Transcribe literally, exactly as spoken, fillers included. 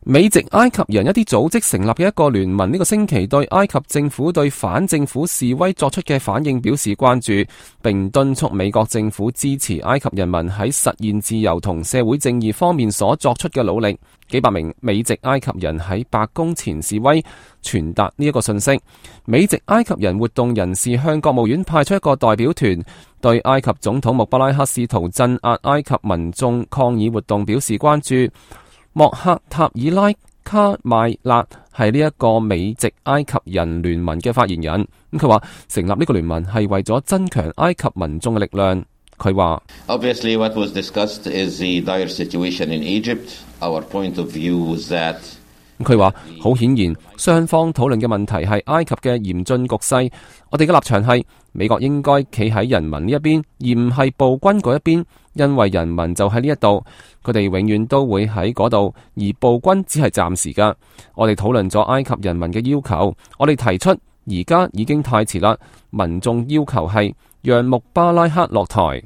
美籍埃及人一啲組織成立嘅一個聯盟呢個星期對埃及政府對反政府示威作出嘅反應表示關注，並敦促美國政府支持埃及人民喺實現自由同社會正義方面所作出嘅努力。幾百名美籍埃及人喺白宮前示威，傳達呢一個信息。美籍埃及人活動人士向國務院派出一個代表團，對埃及總統穆巴拉克試圖鎮壓埃及民眾抗議活動表示關注。莫克塔爾拉卡邁勒係呢一個美籍埃及人聯盟嘅發言人，咁佢話成立呢個聯盟係為咗增強埃及民眾嘅力量。佢話 Obviously, what was discussed is the dire situation in Egypt. Our point of view was that 佢話好顯然，雙方討論嘅問題係埃及嘅嚴峻局勢。我哋嘅立場係美國應該企喺人民呢一邊，而唔係暴君嗰一邊，因為人民就喺呢一度，佢哋永遠都會喺嗰度，而暴君只係暫時噶。我哋討論咗埃及人民嘅要求，我哋提出而家已經太遲啦。民眾要求係讓穆巴拉克落台。